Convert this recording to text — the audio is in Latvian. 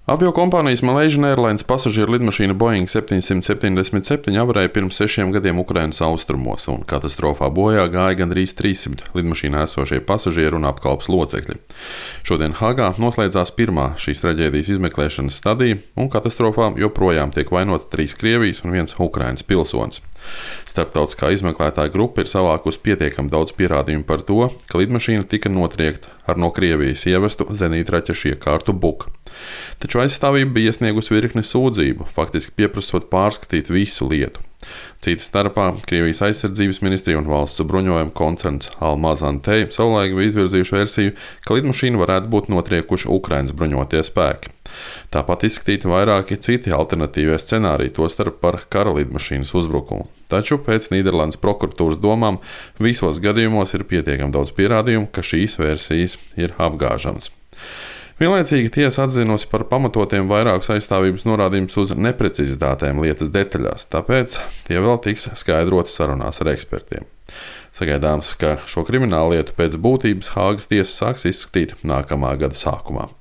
Aviokompānijas Malaysian Airlines pasažieru lidmašīna Boeing 777 avarēja pirms 6 gadiem Ukrainas austrumos, un katastrofā bojā gāja gandrīz 300 lidmašīnā esošie pasažieri un apkalpes locekļi. Šodien Hagā noslēdzās pirmā šīs traģēdijas izmeklēšanas stadija, un katastrofā joprojām tiek vainoti 3 Krievijas un 1 Ukrainas pilsonis. Starptautiskā izmeklētāja grupa ir savākusi pietiekami daudz pierādījumu par to, ka lidmašīna tika notriekta ar no Krievijas ievestu zenītraķešu iekārtu Buk. Taču aizstāvība bija iesniegusi virkni sūdzību, faktiski pieprasot pārskatīt visu lietu. Citas starpā Krievijas aizsardzības ministrija un valsts bruņojuma koncerns Almaz-Antey savulaik bija izvirzījuši versiju, ka lidmašīnu varētu būt notriekuši Ukrainas bruņotie spēki. Tāpat izskatīti vairāki citi alternatīvie scenāriji, tostarp par kara lidmašīnas uzbrukumu. Taču pēc Nīderlandes prokuratūras domām visos gadījumos ir pietiekami daudz pierādījumu, ka šīs versijas ir apgāžamas. Vienlaicīgi tiesa atzinusi par pamatotiem vairākus aizstāvības norādījumus uz neprecizitātēm lietas detaļās, tāpēc tie vēl tiks skaidroti sarunās ar ekspertiem. Sagaidāms, ka šo kriminālu lietu pēc būtības Hāgas tiesa sāks izskatīt nākamā gada sākumā.